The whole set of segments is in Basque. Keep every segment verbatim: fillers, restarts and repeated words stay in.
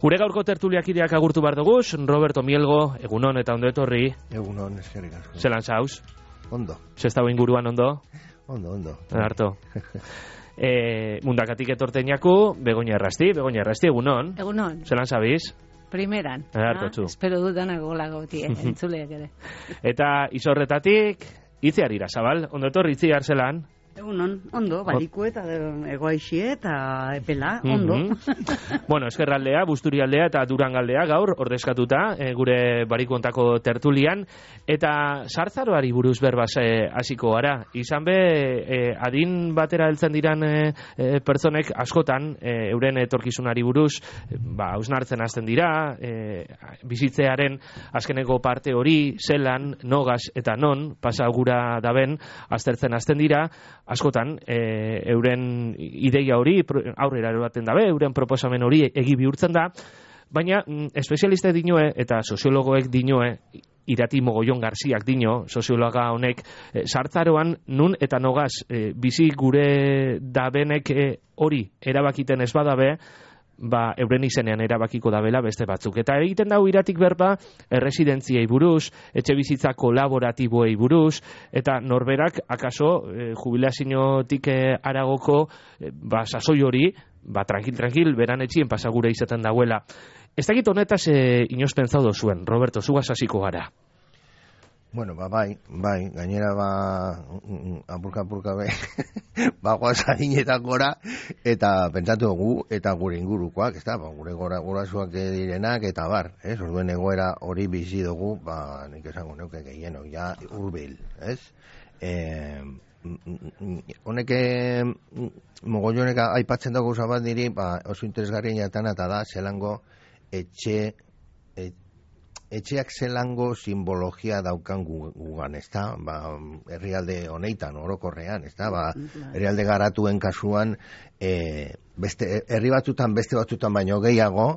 Gure gaurko tertuliakideak agurtu behar dugu, Roberto Mielgo, egunon eta ondo etorri. Egunon, eskerrik asko. Zelan zauz? Ondo. Zestau inguruan ondo? Ondo, ondo. Harto. e, mundakatik etorteinaku, Begoña Errasti, Begoña Errasti, egunon. Egunon. Zelan zabiz? Primeran. Harto txu. Espero dudanak golagotie, entzuleak ere. Eta izorretatik, Itziar Irasabal, ondo etorri Itziar zelan? Egunon, ondo, baliku eta egoaixie eta epela, ondo. Mm-hmm. Bueno, eskerraldea, busturialdea eta durangaldea gaur, ordezkatuta, e, gure barikuontako tertulian, eta sartzaroari buruz berbaz e, hasiko gara. Izan be, e, adin batera heltzen diran e, e, pertsonek askotan, e, euren etorkizunari buruz, e, ba, hausnartzen hasten dira, e, bizitzearen azkeneko parte hori, zelan, nogaz eta non, pasagura daben, aztertzen hasten dira, askotan, e, euren ideia hori aurrera eroaten dabe, euren proposamen hori egi bihurtzen da, baina mm, espezialiste dinoe eta soziologoek dinoe, Irati Mogollon Garziak dino, soziologa honek, e, sartzaroan nun eta nogaz e, bizi gure dabenek e, hori erabakiten ez badabe, ba, euren izenean erabakiko dabela beste batzuk. Eta egiten dago Iratik berba, erresidentziei buruz, etxe bizitza kolaboratiboei buruz, eta norberak, akaso, e, jubilaziotik e, aragoko, e, ba, sasoi hori, ba, tranquil-tranquil, beran etxien pasagure izaten dagoela. Ez dakit honetaz e, inoz pentsaudo zuen, Roberto, zugaz hasiko gara. Bueno, ba, bai, bai, gainera, ba, apurka-apurka be, bagoaz adinetan gora, eta pentsatu dugu, eta gure ingurukoak, ez da, ba, gure gora, gurasoak direnak, eta bar, ez, orduen egoera hori bizi dugu, ba, nik esango neuke gehieno, ja, urbil, ez, e, honek, mogollonek aipatzen dugu zabat diri, ba, oso interesgarri jatan, eta da, zelango etxe, etxe, etxeak zelango simbologia daukan gugan, ez da, ba, herrialde honeitan, orokorrean, ez da, ba, herrialde garatuen kasuan, e, beste, herri batzutan, beste batzutan baino gehiago,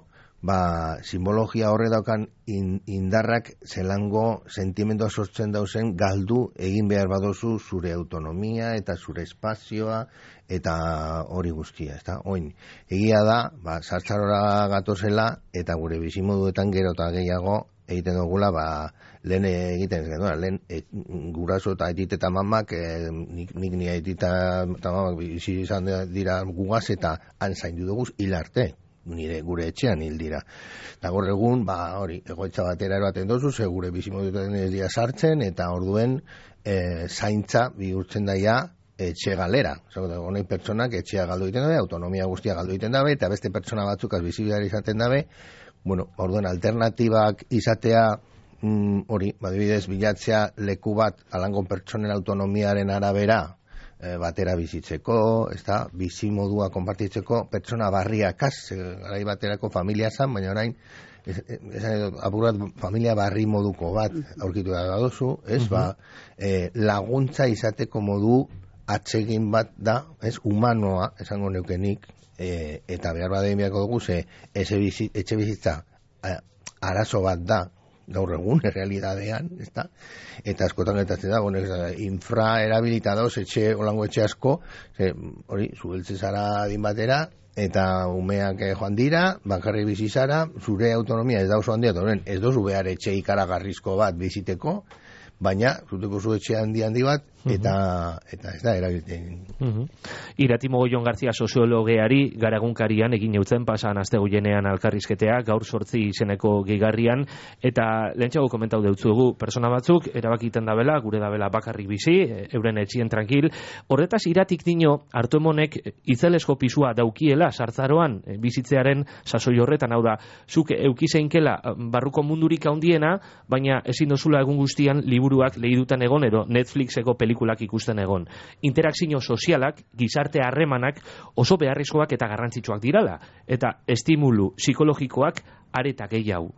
ba, simbologia horre daukan in, indarrak zelango sentimendua sortzen dauzen galdu egin behar badozu zure autonomia eta zure espazioa eta hori guztia, ez da, oin, egia da, ba, sartzarora gatozela eta gure bizimoduetan gero eta gehiago egiten dugula, ba, lehen egiten ez genuen, lehen e, guraso eta aitit eta mamak, e, nik, nik ni aitit eta mamak bizi izan dira gugaz eta han zaindu dugu hil arte, nire gure etxean hil dira. Eta gaur egun, ba, hori, egoitza batera eroaten dozu, ze gure bizimoduetan ez dira sartzen, eta orduen e, zaintza bihurtzen daia etxe galera. Honei pertsonak etxea galdu egiten dabe, autonomia guztia galdu egiten dabe, eta beste pertsona batzuk azbizibidari izaten dabe. Bueno, orduen alternatibak izatea, mm, hori, badibidez, bilatzea leku bat alango pertsonen autonomiaren arabera e, batera bizitzeko, ez da, bizi modua konpartitzeko, pertsona barriakaz, e, garai baterako familia zan, baina orain, ez, ez, apurat, familia barri moduko bat aurkitu da dozu, ez, uh-huh. ba, e, laguntza izateko modu atsegin bat da, ez, humanoa, esango neukenik, E, eta behar badein biako dugu ze etxe bizitza a, arazo bat da gaur egun, errealitatean, ezta? Eta askotan getatzen da, bueno, infra erabilita dauz etxe, olango etxe asko, ze, hori, zubeltze zara adin batera, eta umeak joan dira, bakarri bizi zara, zure autonomia ez da oso handia, ez dozu behar etxe ikaragarrizko bat biziteko, baina, zuteko zu etxe handi handi bat, eta, uh-huh. eta ez da, erabiltzen. Uh-huh. Irati Mogollon Garzia soziologeari garagunkarian egin eutzen pasan astegunean alkarrizketea, gaur sortzi izeneko gehigarrian, eta lehentxago komentau deutzuegu, persona batzuk, erabakiten dabela, gure dabela bakarrik bizi, euren etxien tranquil, horretaz Iratik dino, hartuemonek itzelesko pisua daukiela, sartzaroan, bizitzearen sasoi horretan, hau da, zuk eukizeinkela barruko mundurik handiena, baina ezin dozula egun guztian liburuak lehidutan egon, edo Netflixeko pelikulak ikusten egon. Interakzio sozialak, gizarte harremanak oso beharrezkoak eta garrantzitsuak dirala, eta estimulu psikologikoak areta gehiago.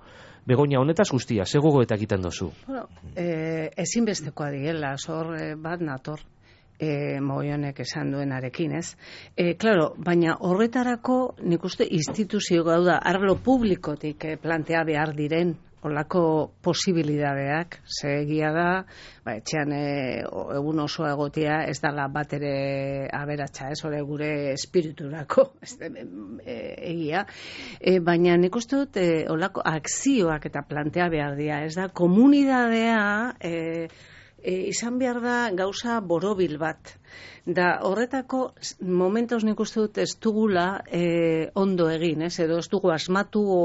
Begoña, honetaz guztia, ze gogoetak egiten dozu? Bueno, eh, ezinbestekoa diela, zor eh, bat nator. E, Mogollonek esan duenarekin, ez? E, claro, baina horretarako nik uste instituzio gauda arlo publikotik eh, plantea behar diren olako posibilidadeak, ze egia da, ba, etxean e, egun oso egotea ez dala bat ere aberatsa, ez hori gure espiriturako, ez, e, egia, e, baina nik uste dut e, olako akzioak eta plantea behar dira, ez da, komunidadea e, e, izan behar da gauza borobil bat. Da horretako momentos nik uste dut ez dugula e, ondo egin, ez? Edo ez dugu asmatu o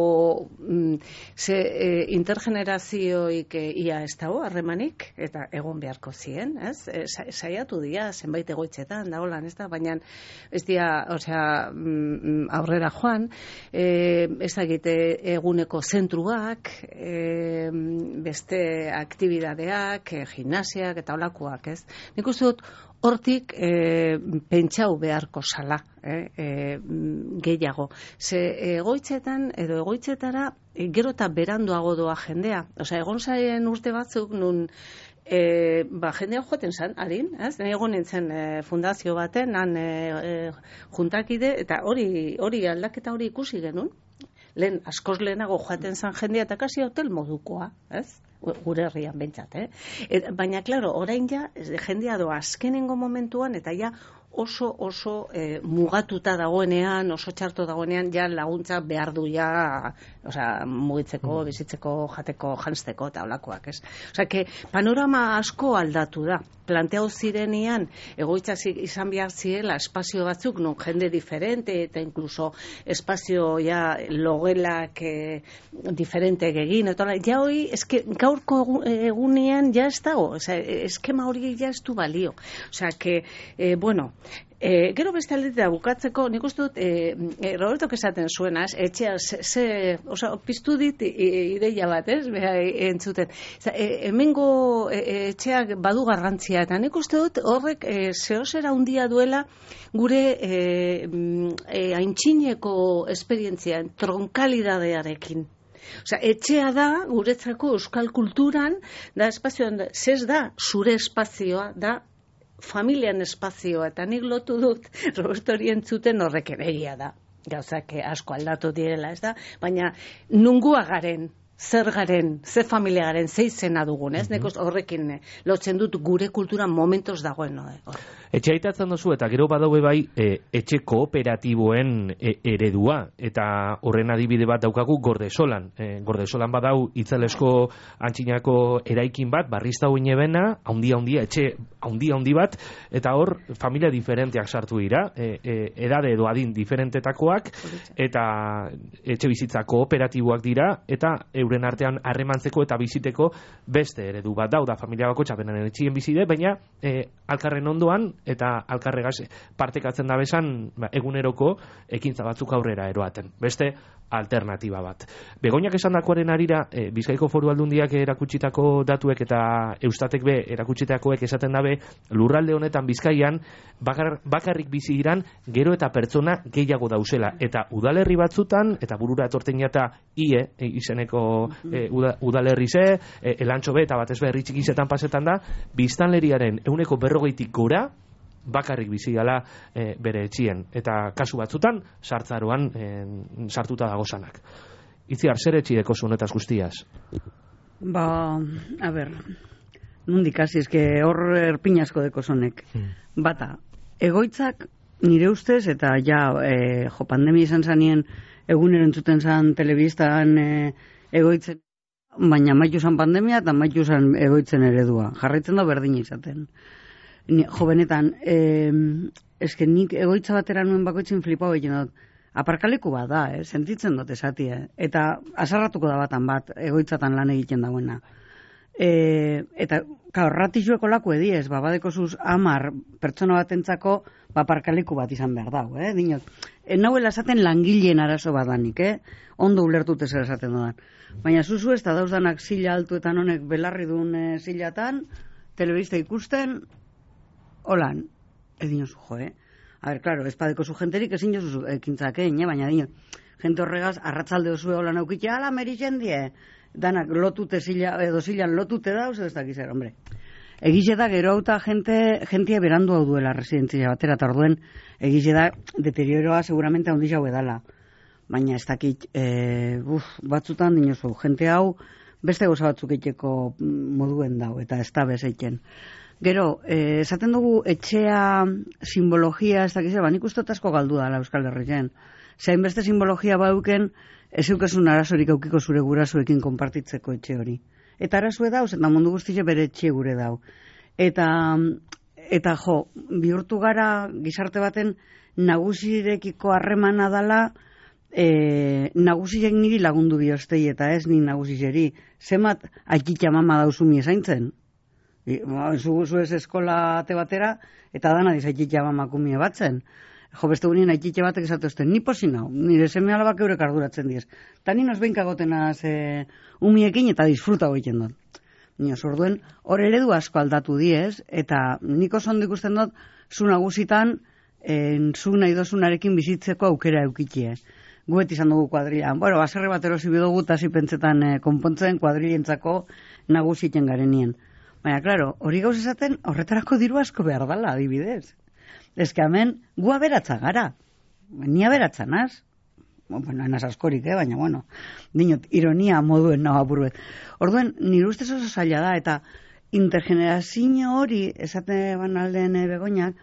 mm, ze e, intergenerazioik e, ia ez dago harremanik eta egon beharko zien, ez? E, saiatu dira zenbait egoitzetan da holan, ez da, baina ez dira, osea, mm, aurrera joan, e, ez dakite eguneko zentruak, e, beste aktibidadeak, e, gimnasiak eta holakoak, ez? Nik uste dut hortik e, pentsau beharko sala, eh, e, gehiago. Ze egoitzetan edo egoitzetara e, gero eta beranduago doa jendea. Osea, egon zaien urte batzuk nun e, ba, jendea joaten zan, harin, ez? Nahi egon nintzen e, fundazio baten, han e, e, juntakide, eta hori hori aldaketa hori ikusi genuen. Lehen, askoz lehenago joaten zan jendea eta kasi hotel modukoa, ez? Gure herrian bentsat, eh? Et, baina, klaro, orain ja, jendea doa azkenengo momentuan, eta ja oso oso e, mugatuta dagoenean, oso txarto dagoenean, ja laguntza behar du ja, osea, mugitzeko, bizitzeko, jateko, janzteko, eta holakoak, ez? Osea, que panorama asko aldatu da. Planteau zirenean, egoitza izan behar zirela espazio batzuk, non jende diferente, eta inkluso espazio ja logelak e, diferente egin, eta ja hori, eske, gaurko egunean ja ez dago, osea, eskema hori ja ez du balio. Osea, que, e, bueno, E, gero beste aldetea bukatzeko, nik uste dut, e, e, Robertok esaten zuenaz, etxea, ze, ze, oza, piztu dit e, ideia bat, ez, beha, e, entzuten. Eza, e, hemengo e, etxeak badu garrantzia, eta nik uste dut horrek e, zehozera handia duela gure e, e, aintzineko esperientzia, tronkalidadearekin. Osea, etxea da, guretzako euskal kulturan, da espazioan, zez da, zure espazioa, da, familian espazioa, eta nik lotu dut Roberto hori entzuten horrek egia da. Gauzak asko aldatu direla, ez da? Baina nungua garen, zer garen, ze familia garen, ze izena dugun, ez? Mm-hmm. Neko horrekin lotzen dut gure kultura momentos dagoen, no? Etxe aitatzen dozu, eta gero badaue bai e, etxe kooperatiboen e, eredua, eta horren adibide bat daukagu Gordesolan. E, Gordesolan badau itzalesko antxinako eraikin bat, barrizta hoin ebena, haundia haundia, etxe haundia haundi bat, eta hor familia diferenteak sartu dira, e, e, edade edo adin diferentetakoak, eta etxe bizitza kooperatiboak dira, eta euren artean harremantzeko eta biziteko beste eredu bat dau, da familia bako txapenen etxien bizide, baina e, alkarren ondoan, eta alkarregaz partekatzen da bezan ba, eguneroko ekintza batzuk aurrera eroaten. Beste alternatiba bat. Begoñak esan dakoaren arira, e, Bizkaiko Foru Aldundiak erakutsitako datuek eta Eustatek be erakutsitakoek esaten dabe, lurralde honetan Bizkaian bakar, bakarrik bizi diran gero eta pertsona gehiago dauzela. Eta udalerri batzutan, eta burura etorten jata ie, e, izeneko e, uda, udalerri ze, e, elantxo be, eta batez be herri txikizetan pasetan da, biztanleriaren ehuneko berrogeitik gora, bakarrik bizi gala e, bere etxien, eta kasu batzutan sartzaroan e, sartuta dagozanak. Itziar, zer etxideko zunetaz guztiaz? Ba, a ber, nondik hasi, eske hor erpinasko deko zonek. Hmm. Bata, egoitzak nire ustez, eta ja, e, jo, pandemia izan zanien egunero entzuten zan telebistan e, egoitzen, baina maitu zan pandemia eta maitu zan egoitzen eredua. Jarraitzen da berdina izaten. Ni, jo, benetan, eh, eske nik egoitza batera nuen bakoitzin flipau egin dut. Aparkaleku bat da, eh, sentitzen dut esati, eh? Eta asarratuko da batan bat, egoitzatan lan egiten dagoena. E, eta, kao, ratizueko laku ediez, babadeko zuz amar pertsona batentzako aparkaleku bat izan behar dago, eh? Dinot, en nauela esaten langileen arazo badanik, eh? Ondo ulertute zer esaten dodan. Baina zuzu ez da dauzdanak zila altuetan honek belarri duen e, zilatan, telebista ikusten, holan, edin oso, jo, eh? A ber, klaro, espadeko zu jenterik ezin jozu ekintzakein, eh? Baina dino, jente horregaz, arratzalde osue holan aukitxe, ala, merixen die, danak lotute zila, edo zilan lotute dauz, ez dakiz, hombre. Egize da, gero auta jente, jentia berandu hau duela residentzia batera, eta orduen, egize da, deterioroa seguramente handi jau edala. Baina ez dakit, e, uf, batzutan dinozu, jente hau, beste gauza batzuk egiteko moduen dau, eta ez da bezeiten. Gero, eh, esaten dugu etxea, simbologia, ez dakiz, ba, nik uste asko galdu dala Euskal Herrian. Zain beste simbologia bauken, ez eukesun arazorik aukiko zure gurasoekin konpartitzeko etxe hori. Eta arazue dauz, eta mundu guztize bere etxe gure dau. Eta, eta jo, bihurtu gara gizarte baten nagusirekiko harremana dala, e, nagusirek niri lagundu biostei, eta ez ni nagusizeri. Zemat, aikitxa mama dauzumi ezaintzen. Zugu zuez eskola ate batera, eta dana dizaikitxa mama kumie batzen. Jo, beste gunien aikitxe batek esatuzten, ni posin hau, nire seme alabak eurek arduratzen diez. Ta ni nos benkagotenaz e, umiekin eta disfruta goiten dut. Nio, zorduen, hor eredu asko aldatu diez, eta niko zondo ikusten dut, zu nagusitan, en, zu nahi dozunarekin bizitzeko aukera eukitie. Guet izan dugu kuadrilan. Bueno, baserre bat erosi bidugu, eta pentsetan e, konpontzen kuadrilientzako nagusiten garenien. Baina, klaro, hori gauz esaten, horretarako diru asko behar dala, adibidez. Ez que hemen, gu aberatza gara. Ni aberatza naz. Bueno, enaz askorik, eh? Baina, bueno, dinot, ironia moduen nago apurbet. Orduen, nire ustez oso zaila da, eta intergenerazio hori, esate banalden e, begoinak,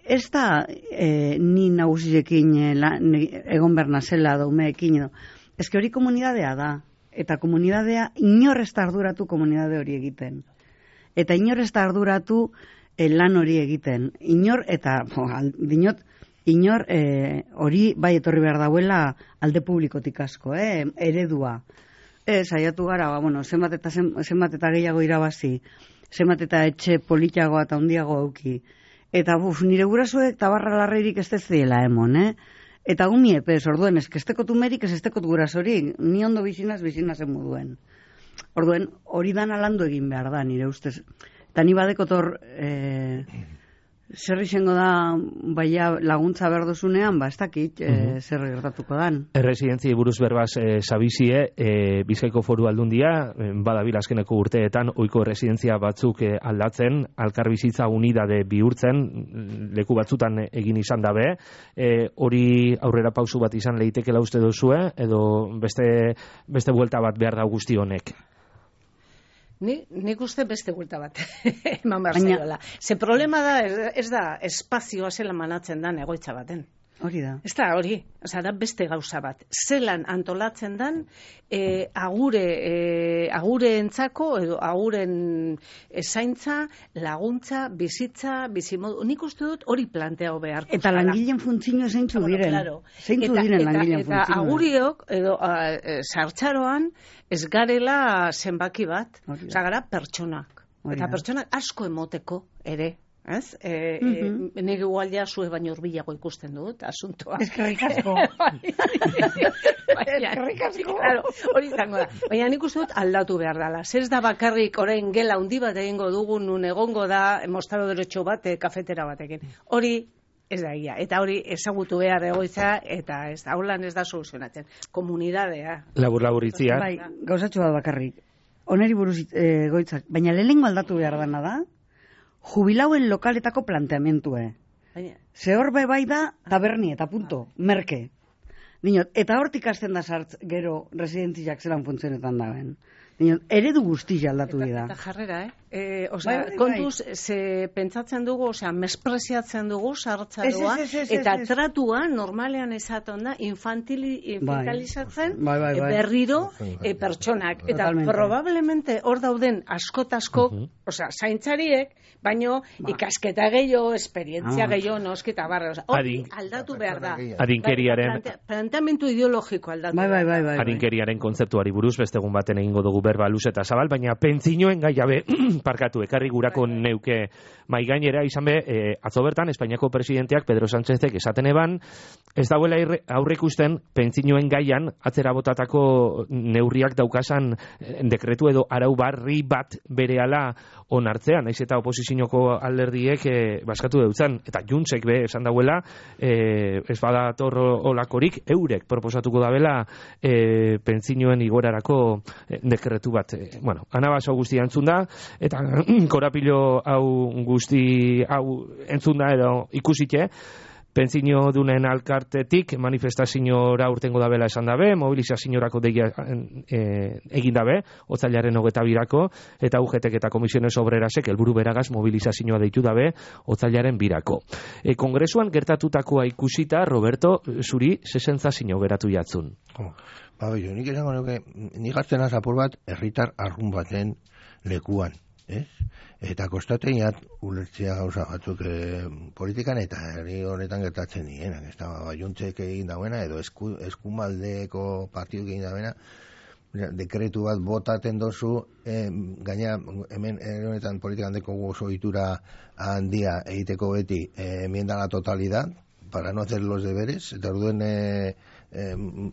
ez da e, ni nagusirekin e, la, ne, egon berna zela daumeekin edo. Ez que hori komunidadea da. Eta komunidadea inor ez da arduratu komunidade hori egiten. Eta inor ez da arduratu eh, lan hori egiten. Inor, eta bo, al, dinot, inor eh, hori bai etorri behar dauela alde publikotik asko, eh, eredua. Ez, saiatu gara, ba, bueno, zenbat eta, zenbat eta gehiago irabazi, zenbat eta etxe politiagoa eta handiago auki. Eta buf, nire gurasoek tabarra larreirik ez dezela emon, eh? Eta gumi epez, orduen, ez kestekot umerik, ez estekot gurasorik, ni ondo bizinaz, bizinazen moduen. Orduen, hori dana landu egin behar da, nire ustez. Eta ni badekotor, e, zer izango da, baina laguntza behar duzunean, ba, ez dakit, e, zer gertatuko dan. Erresidentzia buruz berbaz e, sabizie, e, Bizkaiko Foru Aldundia, e, badabil azkeneko urteetan, oiko erresidentzia batzuk e, aldatzen, Alkarbizitza Unidade bihurtzen, leku batzutan egin izan dabe, e, hori aurrera pausu bat izan leitekela uste duzue, edo beste, beste buelta bat behar da guzti honek? Ni, nik uste beste gulta bat eman behar zaiola. Ze problema da, ez da espazioa zela manatzen dan egoitza baten. Hori da. Ez da hori, oza, da beste gauza bat. Zelan antolatzen dan e, agure, e, agure entzako, edo aguren zaintza, laguntza, bizitza, bizimodu. Nik uste dut hori planteau beharko. Eta langileen funtzio zeintzu diren. Claro. Zeintzu eta, diren eta, langileen eta funtzio. aguriok, edo sartxaroan, ez garela zenbaki bat. Oza, gara pertsonak. Hori eta da. pertsonak asko emoteko ere. Ez? E, Mhm. e, nire gualdea zue baino urbilago ikusten dut, asuntoa. Eskerrik asko. Eskerrik asko. Claro, hori izango da. Baina nik uste dut aldatu behar dela. Zer da bakarrik orain gela handi bat egingo dugu, nun egongo da mostado derecho bat, e, kafetera batekin. Hori ez da egia. Eta hori ezagutu behar egoitza, eta ez da, holan ez da soluzionatzen. Komunidadea. Labur-labur itzia. Bai, gauzatxo bat bakarrik. Oneri buruz e, goitzak. Baina lehenengo aldatu behar dana da, jubilauen lokaletako planteamentue. Baina, Ze hor bai da taberni eta punto, merke. Dinot, eta hortik hasten da sartz gero residentziak zelan funtzionetan daben. Dinot, eredu guztia aldatu eta, dira. eta jarrera, eh? E, osea, Bai, bai, bai. kontuz, ze pentsatzen dugu, osea, mespreziatzen dugu sartzaroa, Ez, ez, ez, ez, eta ez, ez. tratua normalean esaten da infantili, infantilizatzen Bai, bai, bai. e, berriro e, pertsonak. Eta Totalmente. probablemente hor dauden askotasko, Mhm. osea, zaintzariek, baino Ba. ikasketa gehiago, esperientzia Ah. gehiago, nosketa barra. Osea, hori Adin- aldatu behar da. Adinkeriaren Plante, planteamendu ideologiko aldatu Bai, bai, behar bai, da. bai. bai. Adinkeriaren kontzeptuari buruz beste egun baten egingo dugu berba luze eta zabal, baina pentsinoen gaiabe parkatu ekarri gurako neuke mai gainera izan be, e, atzo bertan Espainiako presidenteak Pedro Sánchezek esaten eban, ez dauela irre- aurreikusten pentsinoen gaian atzera botatako neurriak daukasan eh, dekretu edo arau barri bat berehala onartzean, naiz eta oposizioko alderdiek e, baskatu deutzan, eta Juntsek be esan dauela, e, ez badator olakorik eurek proposatuko dabela e, pentsinoen igorarako e, dekretu bat. E, bueno, anabaso guztia entzun da, eta korapilo hau guzti hau entzun da edo ikusite, Pentsio dunen alkartetik manifestaziora urtengo dabela esan dabe, mobilizaziorako deia e, egin dabe, otzailaren hogeta birako, eta U G T eta Komisiones Obrerasek helburu beragaz mobilizazioa deitu dabe otzailaren birako. E, kongresuan gertatutakoa ikusita, Roberto, zuri sesentzazio geratu jatzun. Oh, ba, jo, nik esango nuke, nik hartzen azapur bat, herritar arrun baten lekuan. Ez? Eta kostaten jat ulertzea gauza batzuk e, politikan eta herri honetan gertatzen dienak. Ez da, baiuntzek egin dauena edo esku, eskumaldeko partiduk egin dauena, dekretu bat botaten dozu, e, gaina hemen herri honetan politikan deko oso itura handia egiteko beti e, enmienda la totalidad, para no hacer los deberes, eta orduen e,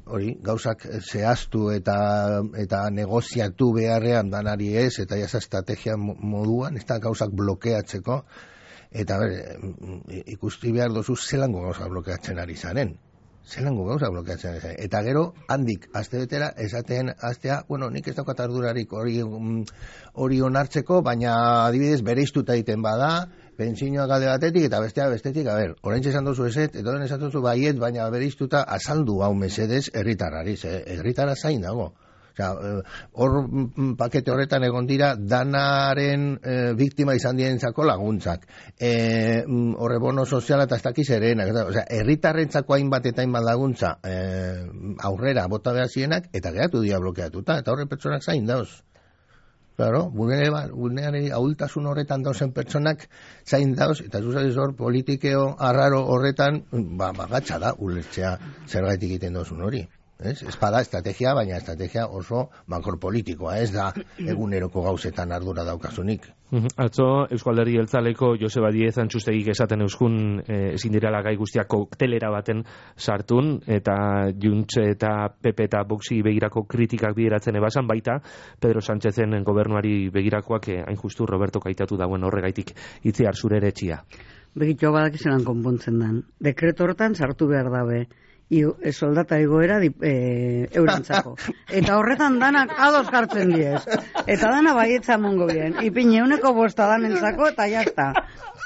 hori, gauzak zehaztu eta eta negoziatu beharrean danari ez, eta jasa estrategia moduan, ez da gauzak blokeatzeko, eta ber, ikusti behar dozu zelango gauzak blokeatzen ari zaren. Zelango gauzak blokeatzen ari zaren. Eta gero, handik, azte betera, esaten aztea, bueno, nik ez daukat ardurarik hori, hori onartzeko, baina adibidez bereiztuta egiten bada, pentsioak alde batetik eta bestea bestetik, a ber, oraintxe esan duzu eset, edo esan duzu baiet, baina bereiztuta azaldu hau mesedez herritarrari, herritara zain dago. Osea, hor pakete horretan egon dira danaren e, biktima izan dientzako laguntzak. E, horre bono soziala eta ez dakiz erenak. Osea, herritarrentzako hainbat eta hainbat laguntza e, aurrera bota behar zienak eta geratu dira blokeatuta, eta horre pertsonak zain dauz. Claro, vulnerari ahultasun horretan dauzen pertsonak zain dauz, eta zuzaiz hor politikeo arraro horretan, ba, bagatxa da, ulertzea zergaitik egiten dauzun hori. Ez? Espada estrategia, baina estrategia oso makropolitikoa, ez da eguneroko gauzetan ardura daukasunik. Atzo, Eusko Alderdi Jeltzaleko Joseba Diez Antxustegik esaten euskun eh, ezin direla gai guztiak koktelera baten sartun, eta Junts eta P P eta Voxi begirako kritikak bideratzen ebasan, baita Pedro Sánchezen gobernuari begirakoak eh, hain justu Roberto kaitatu dauen horregaitik itziar zure ere txia. Begitxo badak izan konpontzen dan. Dekreto horretan sartu behar dabe. Iu, e, soldata egoera e, eurentzako. Eta horretan danak ados jartzen diez. Eta dana baietza mongo bien. Ipine uneko bosta danentzako eta jazta.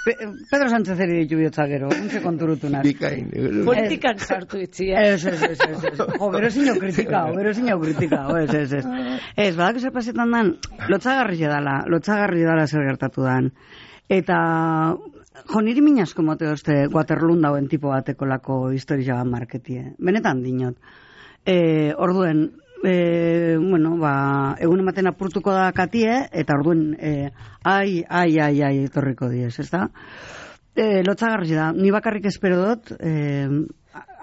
Pe, Pedro Sánchez eri ditu bihotza gero. Untxe konturutunak. Bikain. Politikan sartu itzia. Ez, ez, ez, ez, ez. Jo, gero zinio kritika, gero zinio kritika. Ez, ez, ez. Ez, badak zer pasetan dan, lotzagarri edala, lotzagarri edala zer gertatu dan. Eta... Jo, niri minasko mote hoste Waterloon dauen tipo bateko lako historia bat marketie. Benetan dinot. E, orduen, e, bueno, ba, egun ematen apurtuko da katie, eta orduen, e, ai, ai, ai, ai, etorriko diez, ez da? E, lotzagarri da, ni bakarrik espero dut, e,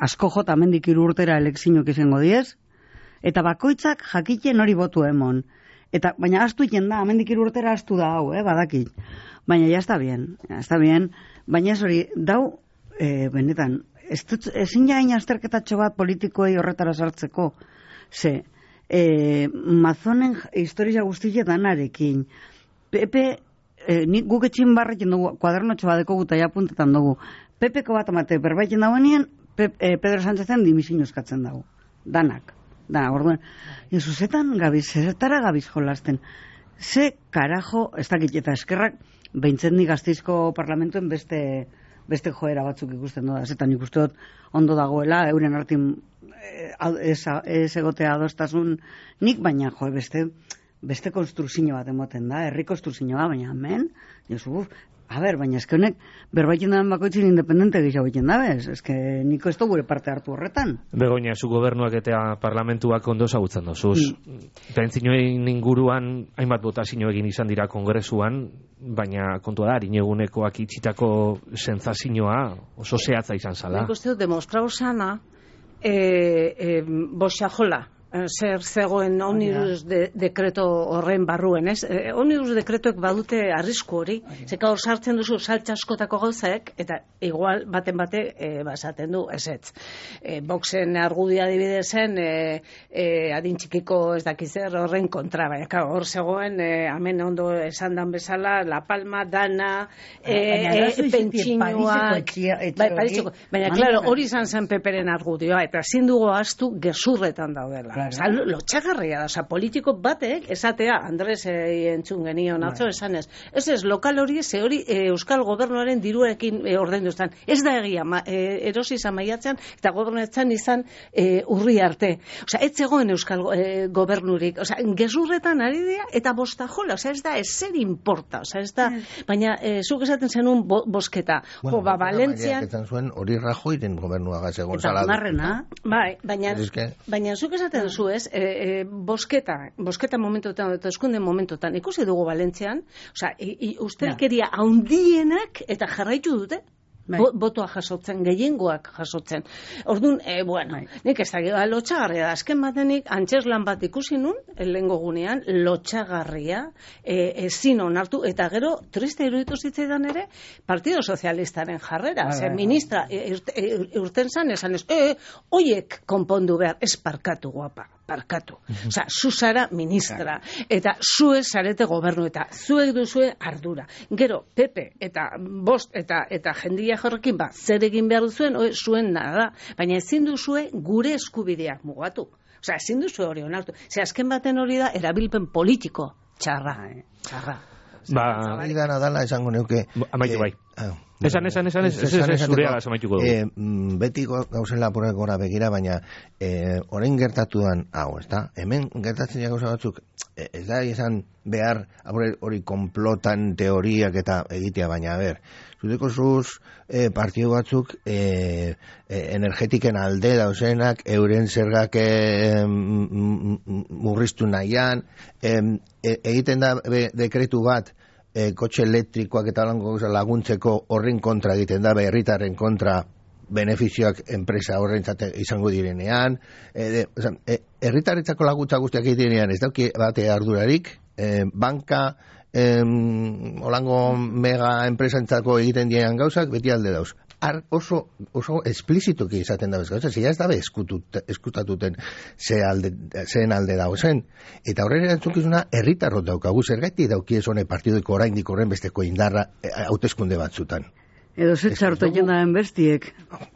asko jota mendik hiru urtera elekzinok izango diez, eta bakoitzak jakiten hori botu emon. Eta, baina astu iten da, amendik hiru urtera astu da hau, eh, badakit. Baina ya está bien, ya está bien. Baina hori dau, e, benetan, ezin jain azterketatxo bat politikoei horretara sartzeko. Ze, e, mazonen historia guztia danarekin. Pepe, e, nik guk etxin barrekin dugu, kuadernotxo bat deko guta japuntetan dugu. Pepeko bat amate berbaikin dauenien, Pe, e, Pedro Sánchezen dimisiño eskatzen dago. Danak. Da, orduan, zuzetan gabiz, zertara gabiz jolasten. Ze karajo, ez dakit eta eskerrak, behintzen ni Gasteizko parlamentuen beste beste joera batzuk ikusten doda. Zetan ikusten dut ondo dagoela, euren artin ez, ez egotea adostasun nik, baina jo, beste beste konstruzio bat emoten da, herri konstruzio bat, baina hemen, Josu, a ber, baina eske honek berbaitzen daren bakoitzin independente gehiago egiten da, bez? Eske niko ez da gure parte hartu horretan. Begoña, zu gobernuak eta parlamentuak ondo zagutzen dozuz. Mm. Pentsinoen inguruan hainbat botazio egin izan dira kongresuan, baina kontua da, inegunekoak itxitako sentsazioa oso zehatza izan zala. Nik uste dut demostrau sana, e, e, boxajola. Zer zegoen omnibus de, dekreto horren barruen, ez? E, omnibus dekretoek badute arrisku hori, zeka hor sartzen duzu saltxaskotako gauzaek, eta igual baten bate e, basaten du, ez ez. E, Boxen argudia dibidezen, e, e, adin txikiko ez dakizer horren kontra, baina hor zegoen, e, hemen ondo esan dan bezala, La Palma, Dana, e, e, pentsinoa, bai, Pariseko, baina, klaro, hori izan zen Peperen argudioa, eta ezin dugu astu gezurretan daudela. Osa, lotxagarria da, osa, politiko batek, esatea, Andres e, entzun genion atzo esanez, ez ez, lokal hori, ze hori e, Euskal Gobernuaren diruekin e, ordainduztan. Ez da egia, ma, e, erosi izan maiatzean, eta gobernetzen izan e, urri arte. Osa, ez zegoen Euskal e, Gobernurik. Osa, gezurretan ari dira, eta bostajola, osa, ez da, ez zer importa, osa, ez da, baina, e, zuk esaten zenun bo, bosketa. Bueno, jo, ba, Valentzian... zuen hori Rajoyren gobernuaga segon eta onarrena. Bai, baina, que... baina zuk esaten zu ez, e, e, bosketa, bosketa momentuetan, eta eskunde momentutan, ikusi dugu Valentzian, osa, ustelkeria haundienak eta jarraitu dute, Bo, botoa jasotzen, gehiengoak jasotzen. Orduan, e, bueno, Bai. nik ez da, lotxagarria da, azken batenik, antzeslan bat ikusi nun, lehengo gunean, lotxagarria, e, ezin onartu, eta gero, triste iruditu zitzaidan ere, Partido Sozialistaren jarrera, Bai, ze bai, ministra, e, e, urten zan, esan ez, e, oiek konpondu behar, ez parkatu guapa. Parkatu. Osa, zu zara ministra, eta zuek zarete gobernu, eta zuek duzue ardura. Gero, Pepe, eta bost, eta eta jendia jorrekin, ba, zer egin behar duzuen, oe, zuen nada, baina ezin duzue gure eskubideak mugatu. Osa, ezin duzue hori onartu. Ze azken baten hori da, erabilpen politiko. Txarra, eh? Txarra. Ba, hori da nadala esango neuke... Amaitu bai. Ah, Esan, esan, esan, ez, ez, ez, zurea amaituko dugu. Eh, beti gauzen lapurek gora begira, baina eh, orain gertatuan, hau, ez da? Hemen gertatzen ja gauza batzuk, eh, ez da esan behar, hori konplotan teoriak eta egitea, baina, a ber, zuteko zuz eh, partidu batzuk eh, eh, energetiken alde dauzenak, euren zergak eh, murriztu nahian, eh, egiten da be, dekretu bat, E, kotxe elektrikoak eta lango laguntzeko horren kontra egiten da, herritarren kontra benefizioak enpresa horrentzat izango direnean, e, e, herritarretzako laguntza guztiak egiten direnean, ez dauki bate ardurarik, e, banka, e, olango mega enpresantzako egiten direnean gauzak, beti alde dauz. Ar, oso, oso esplizituki izaten da bezgauza, zia ez dabe eskutatuten ze alde, zeen alde dago zen. Eta horren erantzukizuna herritarrot daukagu, zergatik dauki ez hone partidoko oraindik horren besteko indarra hauteskunde batzutan. Edo zetxartu jendaen bestiek.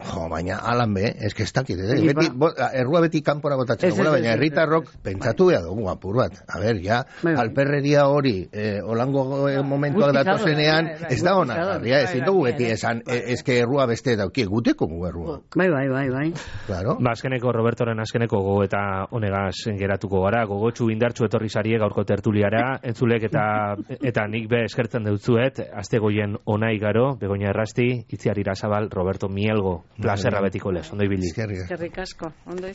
Jo, baina alan be, eske ez dakit, eh? Beti, bo, errua beti kanpora botatzen dugula, baina herritarrok pentsatu behar dugu apur bat. A ber, ja, alperreria hori, eh, olango momentuak datozenean, ez da hona, garria, ez dugu beti esan, eske errua beste dauki, guteko gu errua. Bai, bai, bai, bai. Claro. Ba, azkeneko, Robertoren azkeneko go eta honegaz geratuko gara, gogotsu indartsu etorri zarie gaurko tertuliara, entzulek eta eta nik be eskertzen deutzuet, astegoien onai garo, Begoña Errasti, Itziar Irasabal, Roberto Mielgo, plazerra betiko lez, ondo ibili. Eskerrik asko, ondo